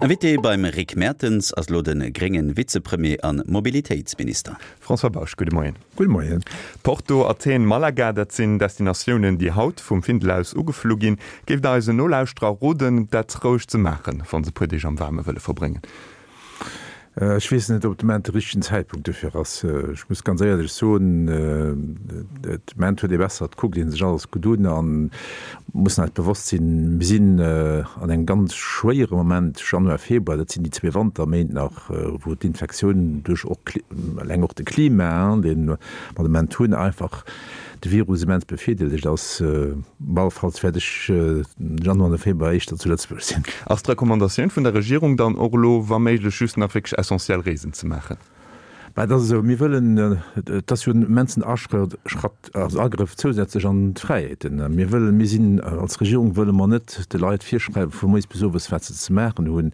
Invité beim Rick Mertens ass elo de grénge Vizepremier a Mobilitéitsminister. François Bausch, gudde Moien. Gudde Moien. Porto, Athen, Malaga, dat sinn Destinatiounen, déi haut vum Findel aus ugeflu ginn. Géift Der eisen Nolauschterer roden, dat roueg ze maachen, wa se e puer Deeg am Waarme wëlle verbréngen? Ech weess net, ob de Moment de richtegen Zäitpunkt dofir ass. Ech muss ganz éierlech soen, de Moment huet ee besser, et kuckt ee sech alles gutt un an mussen eis bewosst sinn, mir sinn an engem ganz schwéiere Moment, Januar, Februar, dat sinn déi zwee Wanterméint nach, wou d'Infektioun duerch och eleng och de Klima, dee mer de Moment hunn, einfach de Virus immens bevirdeelegt ass. Op alle Falls wäert ech den Januar an de Februar éischter zu Lëtzebuerg sinn. Ass d'Recommandatioun vun der Regierung dann och elo, wa méiglech just nach wierklech essentiell Reesen ze maachen? Mä et ass esou, mir wëllen, et ass jo en immensen Aschratt, also Agrëff zousätzlech an d'Fräiheeten. Mir wëllen, mir sinn als Regierung wëlle mer net de Leit virschreiwen vu moies bis owes wat se ze maachen hunn,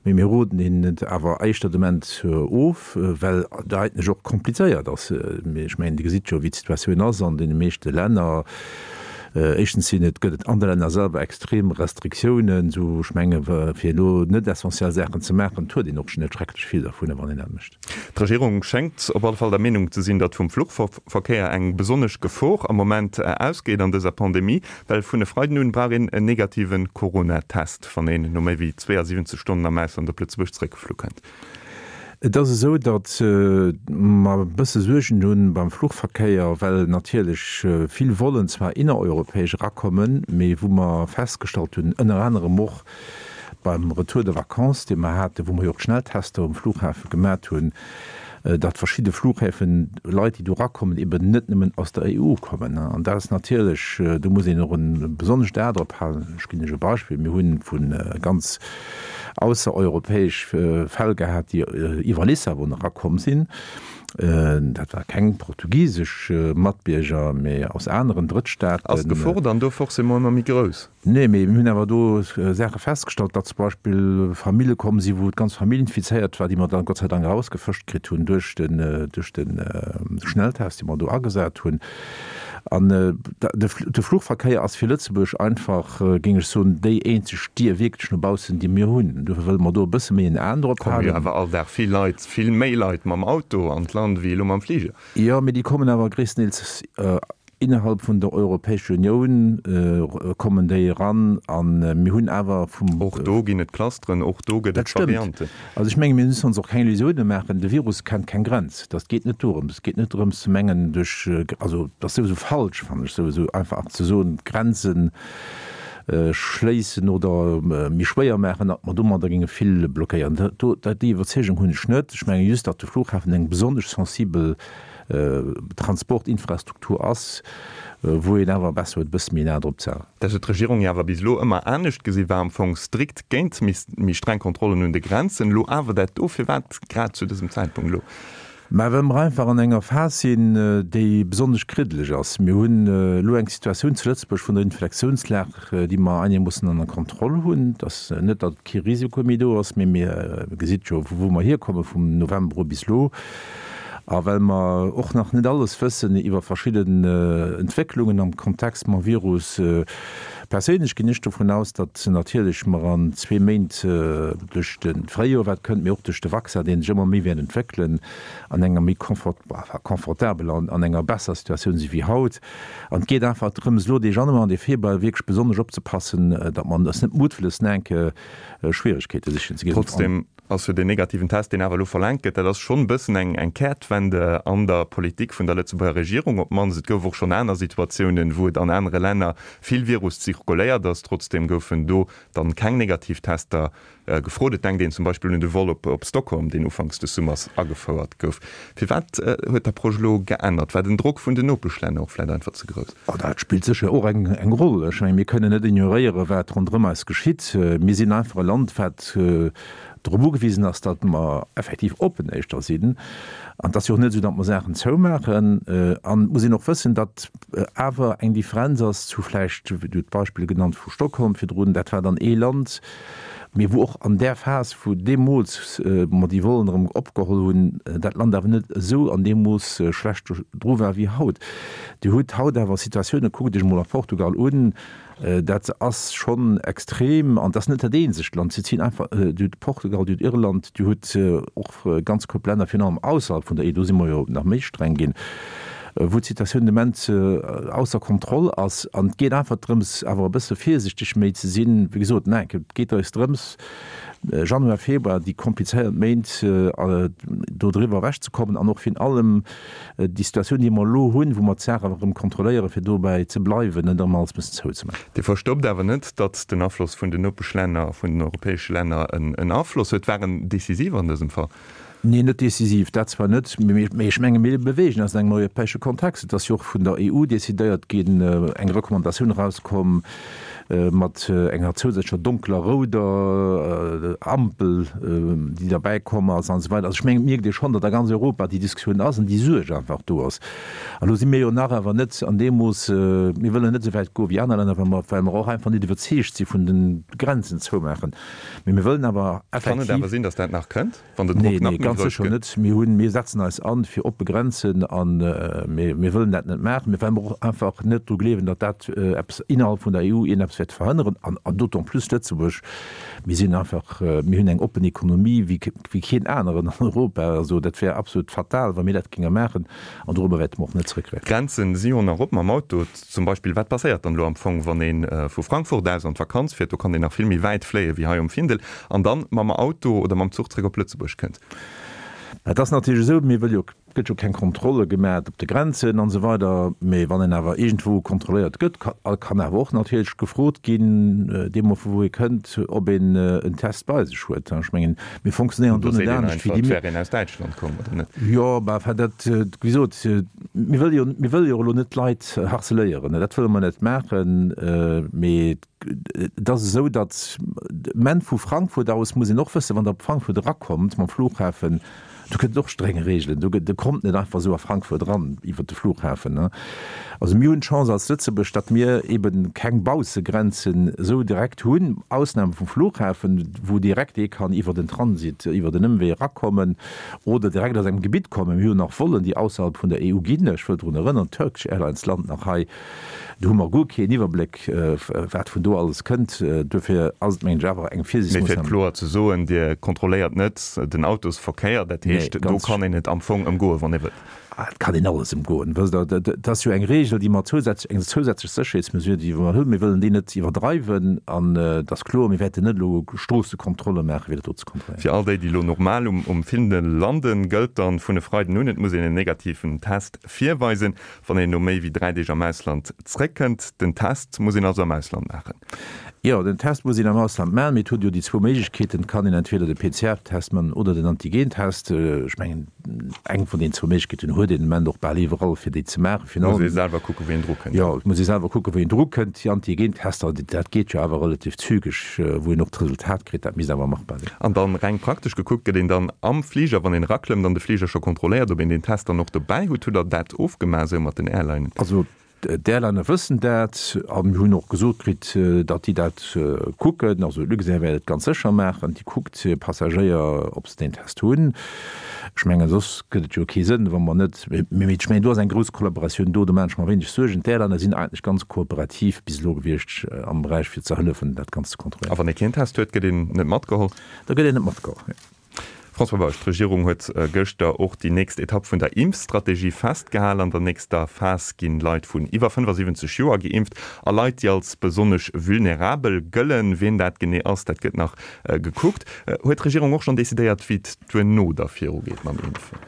mee mir roden hinnen et awer éischter de Moment of, well et eigentlech och komplizéiert ass. Mee ech mengen, Dir gesitt jo wéi d'Situatioun ass an deene meeschte Länner. Éischtens sinn et, gëtt et an de Länner selwer extrem Restriktiounen, esou ech menge fir elo net essentiell Saachen ze maachen, et huet een och net schrecklech vill dervun, wann een dat mécht. D'Regierung schéngt op alle Fall der Meenung ze sinn, datt vum Fluchverkéier eng besonnesch Gefor am Moment ausgeet an dëser Pandemie, well vun e Freiden un brauch een en negative Corona-Test, wann een no méi wéi 72 Stonnen am Ausland op Lëtzebuerg zeréckgeflu kënnt. Et ass esou, datt mer e bësse Suergen hu beim Fluchverkéier, well natierlech vill Vollen zwar innereuropäesch erakommen, mee wou mer festgestallt hunn, ënner anerem och beim Retour de vacances, dee mer haten, wou mer jo och d'Schnelltester um Flughafe gemat hunn, datt verschidde Flughäfen Leit, déi do erakommen, eben net nëmmen aus der EU kommen. An dat ass natierlech, do muss een och e besonnescht A drop halen. Ech ginn lech e Beispill, Mir hu vu ganz aussereuropäesch Fäll gehat, déi iwwer Lissabon erakomm sinn. Dat war keng portugisesch Matbierger, mee aus aneren Drëttstaaten. Ass d'Gefor dann do forcément ëmmer méi grouss? Nee, mee mir hunn awer do Saache festgestallt, datt zum Beispill Famille komm sinn, wou d'ganz Famill infizéiert war, déi mer dann Gott sei Dank erausgefëscht kritt hunn duerch den, duerch de Schnelltest, dee mer do agesat hunn. An de Fluchverkéier ass fir Lëtzebuerg einfach, géing ech soen, déi eenzeg Dier wierklech no baussen, déi mir hunn. Dofir wëlle mer do e bësse méi en Aen drop halen. Komme jo awer all Dag vill Leit, vill méi Leit mam Auto an d'Land wéi elo mam Fliger. Jo, mee déi kommen awer gréisstendeels innerhalb vun der Europäescher Unioun kommen déi eran. A mir hunn awer vum. Och do ginn et Clusteren, och do gëtt et Varianten. Dat stëmmt. Also ech menge mir müssen ons och keng Illusioune maachen, de Virus kennt keng Grenz. Dat geet net dorëms. Et geet net dorëms ze mengen duerch, also dat ass souwisou falsch, fannen ech, souwisou einfach ze soen, d'Grenze schléissen oder méi schwéier maachen, datt mer domadder géinge vill blockéieren. Do, déi Iwwerzeegung hunn ech net. Ech menge just, datt de Flughafen eng besonnesch sensibel Transportinfrastruktur ass, wou een awer besser huet, e bësse méi nah drop ze halen. Dat huet d'Regierung jo awer bis elo ëmmer anescht gesinn, war am Fong strikt géint méi streng Kontrollen un de Grenzen. Elo awer dat do, firwat grad zu dësem Zäitpunkt elo? Mä well mer einfach an enger Phas sinn, déi besonnesch kriddeleg ass. Mir hunn elo eng Situatioun zu Lëtzebuerg vun der Inflektiounslag, déi mer einermoossen ënner Kontroll hunn. Et ass net, datt kee Risiko méi do ass, mee mir gesitt jo, vu wou mer hierkomme vum November u bis elo. A well mer och nach net alles wëssen iwwer verschidden Entwécklungen am Kontext mam Virus, perséinlech ginn ech dovun aus, datt natierlech mer an zwee Méint duerch de Fréijoer, wat kënnt, mee och duerch de Vaccin, dee sech ëmmer méi wäert entwéckelen, an enger méi confortabeler, an enger besser Situatioun si wéi haut. An et geet einfach drëms, elo dee Januar an dee Februar wierklech besonnesch opzepassen, datt mer eis net muttwëlles enke Schwieregkeete sichen ze ginn. Ass jo deen negativen Test, deen awer elo verlaangt gëtt, dat ass schonn e bëssen eng eng Kehrtwende an der Politik vun der Lëtzebuerger Regierung op d'mannst. Et gouf och schonn aner Situatiounen, wou et an anere Länner vill Virus zirkuléiert ass. Trotzdeem goufen do dann keng negativ Tester gefrot. Et denkt een zum Beispill un de Vol op op Stockholm, deen ufanks des Summers agefouert gouf. Firwat huet d'Approche elo geännert? War den Drock vun den Nopeschlänner och vläicht einfach ze grouss? Oh, dat spillt sécher och eng eng Roll. Ech menge mir kënnen net ignoréieren, wat ronderëm eis geschitt. Mir sinn einfach e Land, wat drop ugewisen ass, datt mer effektiv oppen éischter sinn. An et ass jo och net esou, datt mer Saachen zoumaachen. An et muss een och wëssen, datt awer eng Differenz ass zu vläicht, du hutt d'Beispill genannt vu Stockholm virdrun, dat war dann ee Land, mee wou och an där Phas, wou deemools mer déi Vollen erëm opgeholl hunn, dat Land awer net esou an deem Mooss schlecht dru war wéi haut. Dir hutt haut awer Situatiounen, kuckt Iech emol a Portugal un. Dat ass schonn extrem an et ass net dat eenzegt Land. Si zinn einfach, Dir hutt Portugal, Dir hutt Irland, Dir hutt och ganz Koup Länner, virun allem ausserhalb vun der EU, do si mer jo nach méi streng ginn, wou d'Situatioun de Moment ausser Kontroll ass. An et geet einfach drëms, awer e bësse virsichteg méi ze sinn. Wéi gesot, nach eng Kéier, et geet eis drëms, Januar, Februar, déi komplizéiert Méint, do driwwer ewechzekommen an och virun allem, Déi Situatioun, déi mer elo hunn, wou mer d'Saach awer erëm kontrolléieren, fir dobäi ze bleiwen, net erëm alles mussen zouzemaachen. Dir verstoppt awer net, datt den Afloss vun den Nopeschlänner, vun den europäesche Länner en Afloss huet. War en decisiv an dësem Fall? Nee, net decisiv, dat zwar net, mee ech menge mir beweegen eis an engem europäesche Kontext. Et ass jo och vun der EU decidéiert ginn, eng Recommandatioun erauskomm mat enger zousätzlecher donkeler rouder Ampel, déi derbäi komm ass an esou weider. Also ech mengen, et mierkt ee schonn, datt a ganz Europa déi Diskussioun ass an déi Suerg einfach do ass. An elo si mir jo nach awer net an deem Mooss, mir wëllen net esou wäit goe wéi aner Länner, well mer, well mer och einfach net iwwerzeegt si vun de Grenzen zoumaachen. Mee mir wëllen awer effektiv. Kann et awer sinn, datt dat nach kënnt? Wann den Drock nach méi grouss gëtt? Nee, ganz sécher net. Mir hunn, mir setzen eis an fir oppe Grenzen an mir, mir wëllen dat net maachen, mä well mer och einfach net dru gleewen, datt dat eppes innerhalb vun der EU iergendeppes wäert verhënneren an, an d'autant plus Lëtzebuerg, mir sinn einfach, mir hunn eng oppen Ekonomie wéi, wéi keen aneren an Europa. Also dat wär absolut fatal, wa mir dat géinge maachen an dorobber wäerte mer och net zrëckgräifen. D'Grenzen si jo nach op mam Auto. Zum Beispill, wat passéiert dann elo am Fong, wann ee vu Frankfurt aus an d'Vakanz fiert, do kann een nach vill méi wäit fléie wéi hei um Findel, an dann mam Auto oder mam Zuch zréck op Lëtzebuerg kënnt? Et ass natierlech esou, mir wëlle jo, et gëtt jo keng Kontrolle gemat op de Grenzen an esou weider, mee wann een awer iergendwou kontrolléiert gëtt, kann awer och natierlech gefrot ginn, deemno vu wou ee kënnt, ob een en Test bei sech huet. Ech mengen, mir fonctionnéieren do net anescht wéi déi. Et wär een aus Däitschland komm, oder net? Jo, mä enfin dat, wéi gesot, Mir wëlle jo, mir wëlle jo elo net d'Leit harceléieren, dat wëlle mer net maachen, mee et ass esou, datt ment vu Frankfurt aus muss een och wëssen, wann Der op Frankfurt erakommt mam Flughafen, do gëtt et och streng Regeln, do gëtt, Der kommt net einfach esou a Frankfurt eran iwwert de Flughafen. Also mir hunn d'Chance als Lëtzebuerg, datt mir ebe keng Baussegrenzen esou direkt hunn, Ausnam vum Flughafen, wou direkt ee kann iwwert en Transit, iwwert en Ëmwee erakommen. Oder direkt aus engem Gebitt kommen. Mir hunn nach Vollen, déi ausserhalb vun der EU ginn. Ech wëll drun erënnern, d'Turkish Airlines lant nach hei. Do hu mer guer keen Iwwerbléck, wat vun do alles kënnt. Duerfir ass et, mengen ech, awer eng Mee fir et Virsiichtsmoossnam. kloer ze soen, Dir kontrolléiert net den Autosverkéier. Dat heescht, do kann een et am Fong ëmgoen, wann ee wëllt. Et kann een alles ëmgoen. Wësst Der, dat ass jo eng Regel, déi mer zousätzlech, eng zousätzlech Sécherheetsmesure, déi mer hunn. Mir wëllen déi net iwwerdreiwen. An et ass kloer, mir wäerten net elo Stroossekontrolle maachen, fir dat do ze kontrolléieren. Fir all déi, déi elo normal um Findel landen, gëllt dann vun e Freiden un, et muss een en negativen Test virweisen, wann een no méi wéi 3 Deeg am Ausland zréckkënnt. Den Test muss een also am Ausland maachen. Jo, den Test muss een am Ausland maachen, mee et huet jo déi zwou Méiglechkeeten, et kann een entweder de PCR-Test man oder den Antigen-Test. Ech mengen, eng vun den zwou Méiglechkeeten huet een den Ament och bal iwwerall, fir déi ze maachen. Virun allem. Muss ee selwer kucken, wéi een dru kënnt. Jo, et muss ee selwer kucken, wéi een dru kënnt. Déi Antigen-Tester, dat geet jo awer relativ zügeg, wou een och d'Resultat kritt. Dat misst awer machbar sinn. An dann, reng praktesch gekuckt, gëtt een dann am Fliger, wann een eraklëmmt, an de Fliger scho kontrolléiert, ob een deen Test dann och dobäi hutt? Hutt Der dat ofgemaach esou mat den Airlinen? Also D'Airliner wëssen dat a mir hunn och gesot kritt, datt déi dat kucken. Also Luxair wäert et ganz sécher maachen, déi kuckt hir Passagéier, ob se deen Test hunn. Ech mengen, soss gëtt et jo kee Sënn, wa mer net, mee ech mengen, do ass eng grouss Kollaboratioun do, do maachen ech mer wéineg Suergen. D'Airliner sinn eigentlech ganz kooperativ bis elo gewiescht am Beräich fir ze hëllefen, dat Ganzt ze kontrolléieren. A wann ee keen Test huet, gëtt een net matgeholl? Da gëtt een net matgeholl, jo. François Bausch, D'Regierung huet gëschter och déi nächst Etapp vun der Impfstrategie festgehal. An der nächster Phas ginn Leit vun iwwer 75 Joer geimpft a Leit, déi als besonnesch vulnerabel gëllen. Wien dat genee ass, dat gëtt nach gekuckt. Huet d'Regierung och schonn decidéiert, wéi et duerno da virugeet mam Impfen?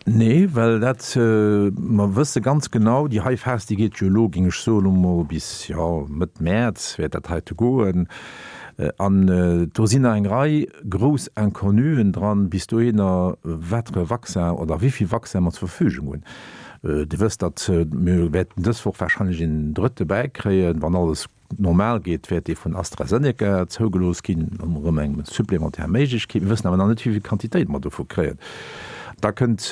Nee, well dat, mer wësse ganz genau, déi hei Phas, déi geet jo elo, géing ech soen, elo mol bis, jo, Mëtt Mäerz wäert dat heite goen. An do sinn nach eng Rei grouss Inconnuen dran bis dohinner, wat fir e Vaccin oder wéi vill Vaccin mer zur Verfügung hunn. Dir wësst, datt mir wäerten dës Woch warscheinlech een drëtte bäikréien, wann alles normal geet, wäert dee vun AstraZeneca zougelooss ginn, erëm eng supplémentaire Méiglechkeet. Mir wëssen awer nach net, wéi vill Quantitéit mer dovu kréien. Da kënnt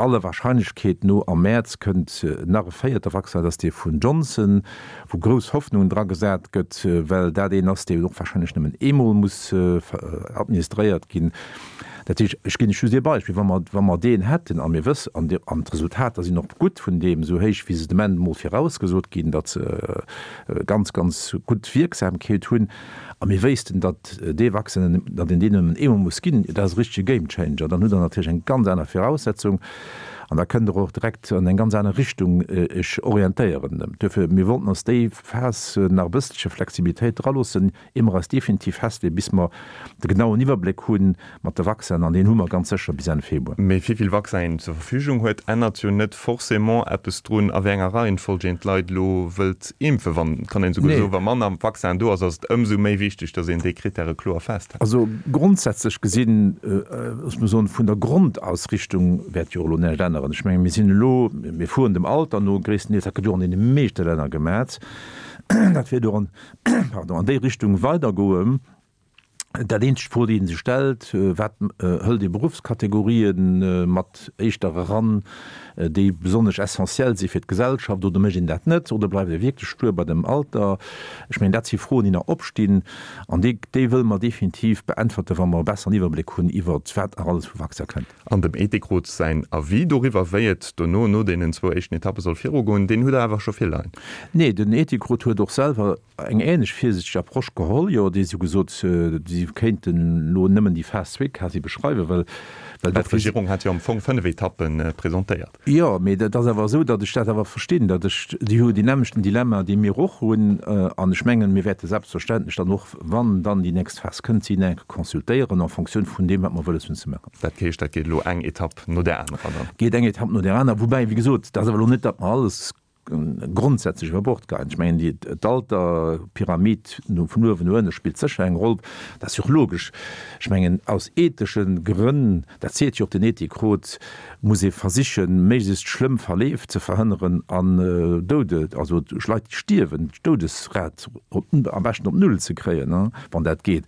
aller Wahrscheinlechkeet no am Mäerz kënnt nach e véierte Vaccin, dat ass dee vun Johnson, wou grouss Hoffnungen dra gesat gëtt, well dat een ass, dee och wahrscheinlech nëmmen eemol muss administréiert ginn. Dat heescht, ech ginn lech just ee Beispill, Wa mer, wa mer deen hätten, a mir wëssen, an an d'Resultater sinn och gutt vun deem, esou héich wéi se de Moment emol virausgesot ginn, datt se ganz, ganz gutt Wierksamkeet hunn, a mir wéissten, datt dee Vaccin, datt een deen nëmmen eemol muss ginn, dat ass e richtege Gamechanger. Dann hutt Der natierlech eng ganz aner Viraussetzung an da kënnt Der och direkt an eng ganz aner Richtung Iech orientéieren. Duerfir, mir wollten ons déi Phas nach e bësselche Flexibilitéit draloossen, ier mer eis definitiv festleeën, bis mer de genauen Iwwerbléck hu mat de Vaccinen, an deen hu mer ganz sécher bis Enn Februar. Mee wéi vill Vaccin een zur Verfügung huet, ännert jo net forcément eppes drun, a wéi enger Reihenfolg een d'Leit elo wëllt impfen. Wann, et kann een esouguer soen, wa manner Vaccin do ass, ass et ëmsou méi wichteg, datt een déi Krittäre kloer festhält. Also grondsätzlech gesinn, ech muss soen, vun der Grondausrichtung wäert jo och elo näischt änneren. Ech menge mir sinn elo, mir fueren dem Alter no gréisstendeels, dat gëtt jo och an deene meeschte Länner gemat, dat wäert och an pardon, an déi Richtung weidergoen. Dat eenzegt Fro, déi ee sech stellt, Wat hëlt ee Beruffskategorien mat éischter eran, déi besonnesch essentiell si fir d'Gesellschaft, oder mécht een dat net, oder bleift ee wierklech stur bei dem Alter? Ech mengen, dat si Froen, déi nach opstinn, an déi, déi wëlle mer definitiv beäntwerten, wa mer e besseren Iwwerbléck hunn iwwert wat nach alles vu Vaccin kënnt. An dem Ethikrot säin Avis doriwwer, wéi et dono, no deenen zwou éischten Etappe soll virugoen, deen hutt Der awer scho virleien? Nee, den Ethikrot huet och selwer eng ähnlech virsiichteg Approche geholl. Jo, déi si hu gesot, si kéinten elo nëmmen déi Phas zwee quasi beschreiwen, well, well dat. D'Regierung hat jo am Fong 5 Etappe presentéiert. Jo, mee dat ass awer esou, datt ech dat awer verstinn, datt ech, déi hu deen nämmlechten Dilemma, dee mir och hunn. An ech mengen, mir wäerte selbstverständlech dann och, wann dann déi nächst Phas kënnt, si nach eng Kéier consultéieren en Fonctioun vun deem, wat mer wëlles hunn ze maachen. Dat heescht, dat geet elo eng Etapp no där anerer dann? Geet eng Etapp no där anerer. Woubäi, wéi gesot, dat ass awer elo net, datt mer alles grondsätzlech iwwer Bord geheien. Ech mengen, déi, d'Alterpyramid vun uewen no ënne spillt sécher eng Roll. Dat ass jo och logesch. Ech mengen, aus ethesche Grënn, dat seet jo och den Ethikrot, muss ee versichen, méiglechst schlëmm Verleef ze verhënneren an Doude, also Leit, déi stierwen, d'Doudesrat op, am beschten op null ze kréien, wann dat geet.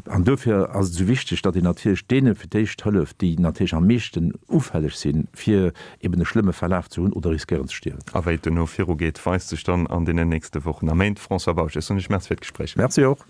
An dofir ass et esou wichteg, datt een natierlech deene fir d'éischt hëlleft, déi natierlech am meeschten ufälleg sinn, fir eben e schlëmme Verlaf ze hunn oder riskéieren ze stierwen. A wéi et dono virugeet, weist sech dann an deenen nächste Wochen a Méint. François Bausch, ech soen Iech Merci fir d'Gespréich. Merci och.